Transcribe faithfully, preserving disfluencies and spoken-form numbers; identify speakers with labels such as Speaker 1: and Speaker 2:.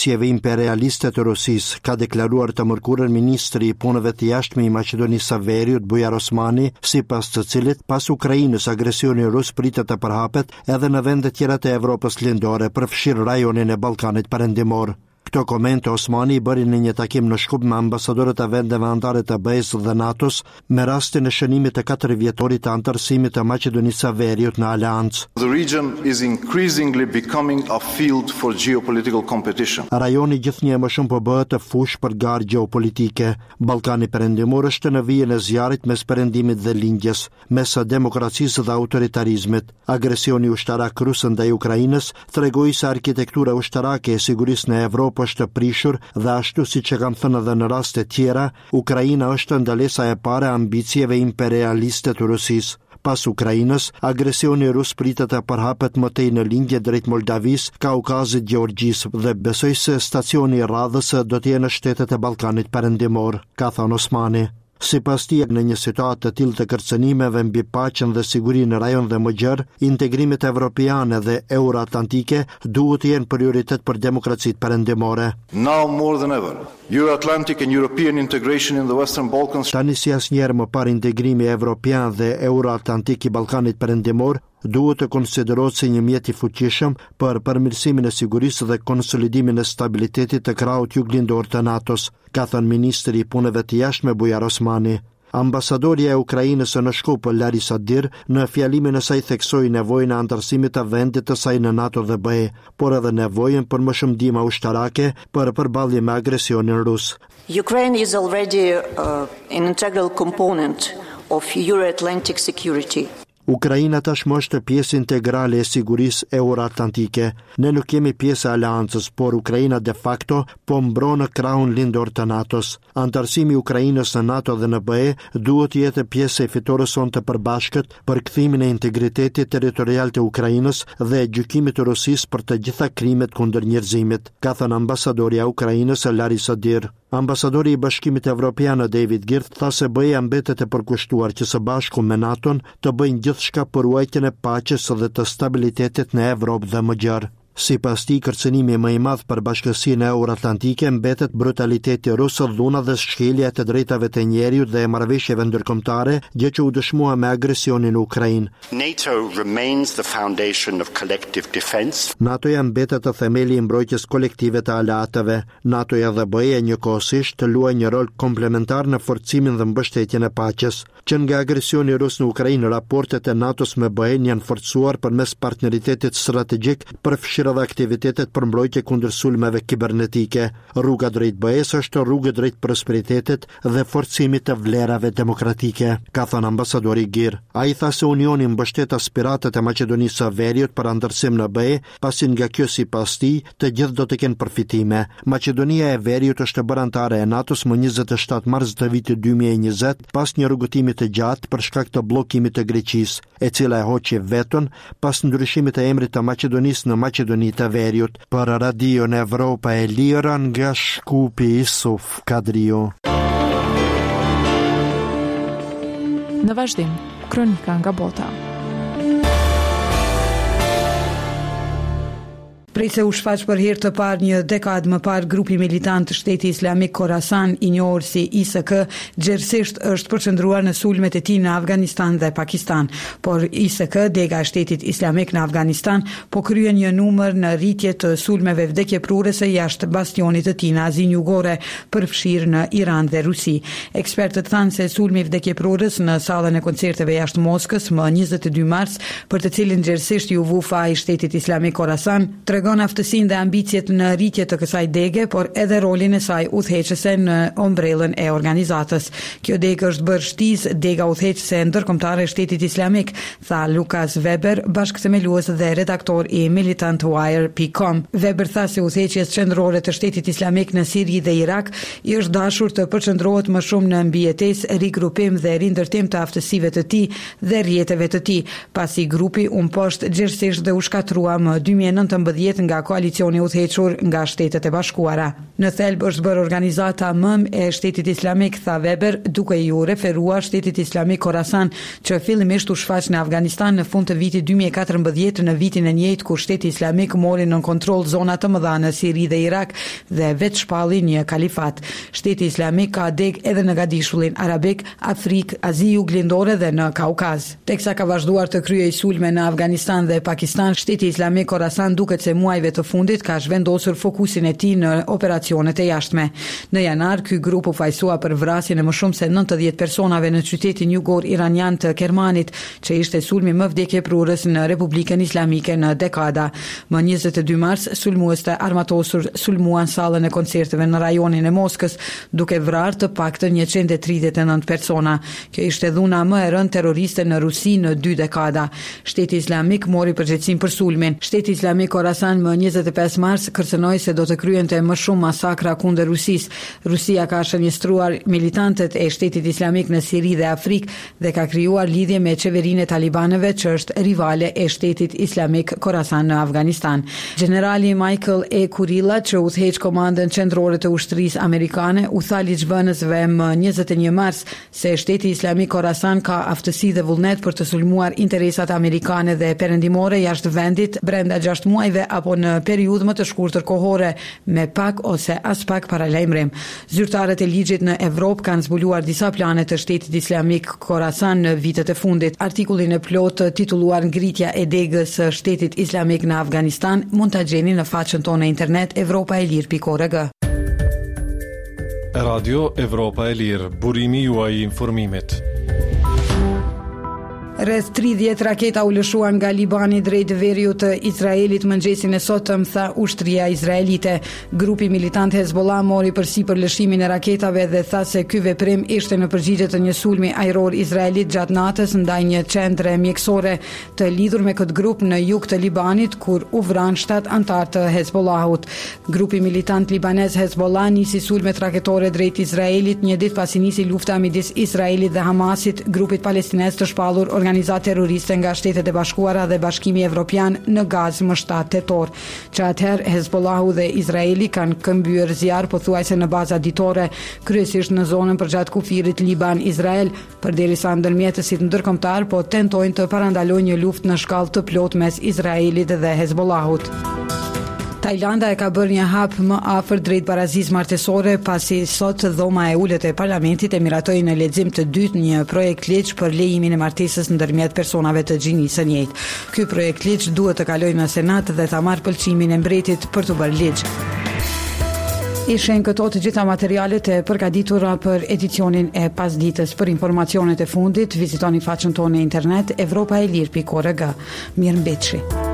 Speaker 1: Ambicieve imperialiste të Rusisë, ka deklaruar të mërkurën ministri i Punëve të Jashtme i Maqedonisë së Veriut, Bujar Osmani, sipas të cilit pas Ukrainës agresioni rus pritet të përhapet edhe në vende tjera të Evropës Lindore, përfshirë rajonin e Ballkanit Perëndimor. Këto komente Osmani i bëri në një takim në Shkup me ambasadorët e vendeve anëtare të B E-së dhe NATO-s me rastin e shënimit të katër vjetorit të anëtarësimit të Maqedonisë së Veriut në aleancë.
Speaker 2: The region is increasingly becoming a field for geopolitical competition.
Speaker 1: Rajoni gjithnjë e më shumë po bëhet fushë për garë gjeopolitike. Ballkani Perëndimor është në vijën e zjarrit mes perëndimit dhe lindjes, mes demokracisë dhe autoritarizmit. Agresioni ushtarak rus ndaj Ukrainës tregoi se arkitektura ushtarake e sigurisë në Evropë është prishur dhe, ashtu siç e kam thënë edhe në raste tjera, Ukraina është ndalesa e parë e ambicieve imperialiste të Rusisë. Pas Ukrainës, agresioni rus pritet të përhapet më tej në lindje drejt Moldavisë, Kaukazit, Gjeorgjisë dhe besoj se stacioni i radhës do të jenë në shtetet e Ballkanit Perëndimor, ka thënë Osmani. Sipas tij, në një situatë të tillë të kërcënimeve mbi paqen dhe sigurinë në rajon dhe më gjerë, integrimet evropiane dhe euroatlantike duhet të jenë prioritet për demokracitë perëndimore.
Speaker 2: Now more than ever, Euro-Atlantic and European integration in the Western Balkans
Speaker 1: Tani si asnjëherë më parë, integrimi evropian dhe euroatlantik i Ballkanit Perëndimor duhet të konsiderohet si një mjet i fuqishëm për përmirësimin e sigurisë dhe konsolidimin e stabilitetit të krahut juglindor të NATO-s, ka thënë ministri i Punëve të Jashtme Bujar Osmani. Ambasadorja e Ukrainës në Shkup, Larisa Dir, në fjalimin e saj theksoi nevojën e anëtarësimit të vendit të saj në NATO dhe B E, por edhe nevojën për më shumë ndihma ushtarake për përballje me agresionin rus.
Speaker 3: Ukraine is already uh, an integral component of Euro-Atlantic security.
Speaker 1: Ukraina tashmë është pjesë integrale e sigurisë euroatlantike. Ne nuk jemi pjesë e aleancës, por Ukraina de facto po mbron krahun lindor të NATO-s. Anëtarësimi i Ukrainës në NATO dhe në B E duhet të jetë pjesë e fitores sonë të përbashkët për kthimin e integritetit territorial të Ukrainës dhe gjykimit të Rusisë për të gjitha krimet kundër njerëzimit, ka thënë ambasadorja e Ukrainës Larisa Dir. Ambasadori i Bashkimit Evropian David Girth tha se B E-ja mbetet e përkushtuar që së bashku me NATO-n të bëjnë gjithçka për ruajtjen e paqes dhe të stabilitetit në Evropë dhe më gjerë. Sipas tij, kërcënimi më i madh për bashkësinë euroatlantike mbetet brutaliteti rus, dhuna dhe shkelja e të drejtave të njeriut dhe e marrëveshjeve ndërkombëtare, gjë që u dëshmua me agresionin në Ukrainë.
Speaker 4: NATO remains the foundation of collective defense.
Speaker 1: NATO-ja mbetet të themeli i mbrojtjes kolektive të aleatëve. NATO-ja dhe B E njëkohësisht të luajnë një rol komplementar në forcimin dhe mbështetjen e paqes. Që nga agresioni rus në Ukrainë, raportet e NATO-s me B E-n janë forcuar përmes partneritetit strategjik, përfshirë edhe aktivitetet për mbrojtje kundër sulmeve kibernetike. Rruga drejt B E-s është rrugë drejt prosperitetit dhe forcimit të vlerave demokratike, ka thënë ambasadori Gir. Ai tha se Unioni mbështet aspiratat e Maqedonisë së Veriut për anëtarësim në B E, pasi nga kjo, sipas tij, të gjithë do të kenë përfitime. Maqedonia e Veriut është bërë anëtare e NATO-s më njëzet e shtatë mars të vitit dy mijë e njëzet, pas një rrugëtimi të gjatë për shkak të bllokimit të Greqisë, e cila e hoqi veton pas ndryshimit të emrit të Maqedonisë në Maqedoni të Veriut. Për Radion Evropa e Lirë nga Shkupi, Isuf Kadriu.
Speaker 5: Në vazhdim, kronika nga bota.
Speaker 6: Prej se u shfaq për herë të parë një dekadë më parë, grupi militant Shteti Islamik Khorasan, i njohur si I S K, gjerësisht është përqendruar në sulmet e tij në Afganistan dhe Pakistan. Por I S K, dega e Shtetit Islamik në Afganistan, po kryen një numër në rritje të sulmeve vdekjeprurëse jashtë bastionit të tij në Azinë Jugore, përfshirë në Iran dhe Rusi. Ekspertët thanë se sulmi vdekjeprurës në sallën e koncerteve jashtë Moskës më njëzet e dy mars, për të cilin gjerësisht iu vu faji Shtetit Islamik Khorasan, tregon aftësinë dhe ambiciet në rritje të kësaj dege, por edhe rolin e saj udhëheqëse në ombrellën e organizatës. "Kjo degë është bërë shtizë, dega udhëheqëse ndërkombëtare e Shtetit Islamik", tha Lukas Weber, bashkëthemelues dhe redaktor i militantwire pikë com. Weber tha se udhëheqjes qendrore të Shtetit Islamik në Siri dhe Irak i është dashur të përqendrohet më shumë në mbijetesë, rigrupim dhe rindërtim të aftësive të tij dhe rrjeteve të tij, pasi grupi u mposht gjerësisht dhe u shkatrua më dy mijë e nëntëmbëdhjetë. katërmbëdhjetë nga koalicioni i udhëhequr nga Shtetet e Bashkuara. Në thelb është bërë organizata mëmë e Shtetit Islamik, tha Weber, duke iu referuar Shtetit Islamik Khorasan, që fillimisht u shfaq në Afganistan në fund të vitit dy mijë e katërmbëdhjetë, në vitin e njëjtë kur Shteti Islamik mori nën kontroll zona të mëdha në Siri dhe Irak dhe vetë shpalli një kalifat. Shteti Islamik ka degë edhe në Gadishullin Arabik, Afrikë, Azi Juglindore dhe në Kaukaz. Teksa ka vazhduar të kryejë sulme në Afganistan dhe Pakistan, Shteti Islamik Khorasan duket se muajve të fundit ka zhvendosur fokusin e tij në operacionet e jashtme. Në janar, ky grup u fajësua për vrasjen e më shumë se nëntëdhjetë personave në qytetin jugor iranian të Kermanit, që ishte sulmi më vdekjeprurës në Republikën Islamike në dekada. Më njëzet e dy mars, sulmues të armatosur sulmuan sallën e koncerteve në rajonin e Moskës, duke vrarë të paktën njëqind e tridhjetë e nëntë persona. Kjo ishte dhuna më e rëndë terroriste në Rusi në dy dekada. Shteti Islamik mori përgjegjësinë për sulmin. Shteti Islamik Khorasan më njëzet e pesë mars kërcënoi se do të kryente më shumë masakra kundër Rusisë. Rusia ka shënjestruar militantët e Shtetit Islamik në Siri dhe Afrikë dhe ka krijuar lidhje me qeverinë e talibanëve, që është rivale e Shtetit Islamik Khorasan në Afganistan. Gjenerali Michael E. Kurilla, që udhëheq komandën qendrore të ushtrisë amerikane, u tha ligjvënësve më njëzet e një mars se Shteti Islamik Khorasan ka aftësi dhe vullnet për të sulmuar interesat amerikane dhe perëndimore jashtë vendit brenda gjashtë muajve apo në periudhë më të shkurtër kohore, me pak ose as pak paralajmërim. Zyrtarët e ligjit në Evropë kanë zbuluar disa plane të Shtetit Islamik Khorasan në vitet e fundit. Artikullin e plotë titulluar Ngritja e degës së Shtetit Islamik në Afganistan mund ta gjeni në faqen tonë në internet evropa e lirë pikë org.
Speaker 7: Radio Evropa e Lirë, burimi juaj i informimit.
Speaker 6: Rreth tridhjetë raketa u lëshuan nga Libani drejt veriut të Izraelit mëngjesin e sotëm, tha ushtria izraelite. Grupi militant Hezbollah mori përsipër lëshimin e raketave dhe tha se ky veprim ishte në përgjigje të një sulmi ajror izraelit gjatë natës ndaj një qendre mjekësore të lidhur me këtë grup në jug të Libanit, kur u vranë shtatë anëtarë të Hezbollahut. Grupi militant libanez Hezbollah nisi sulmet raketore drejt Izraelit një ditë pasi nisi lufta midis Izraelit dhe Hamasit, grupit palestinez të shpallur organizatë terroriste nga Shtetet e Bashkuara dhe Bashkimi Evropian në Gazë më shtatë tetor. Që atëherë Hezbollahu dhe Izraeli kanë këmbyer zjarr pothuajse në baza ditore, kryesisht në zonën përgjatë kufirit Liban-Izrael, përderisa ndërmjetësit ndërkombëtar po tentojnë të parandalojnë një luftë në shkallë të plotë mes Izraelit dhe Hezbollahut. Tajlanda e ka bërë një hap më afër drejt barazisë martesore, pasi sot dhoma e ulët e parlamentit e miratoi në lexim të dytë një projekt ligj për lejimin e martesës ndërmjet personave të gjinisë së njëjtë. Ky projekt ligj duhet të kalojë në Senat dhe ta marrë pëlqimin e mbretit për t'u bërë ligj. Ishin këto të gjitha materialet e përgatitura për edicionin e pasditës. Për informacionet e fundit, vizitoni faqen tonë në internet evropa e lirë pikë org. Mirëmbetshi.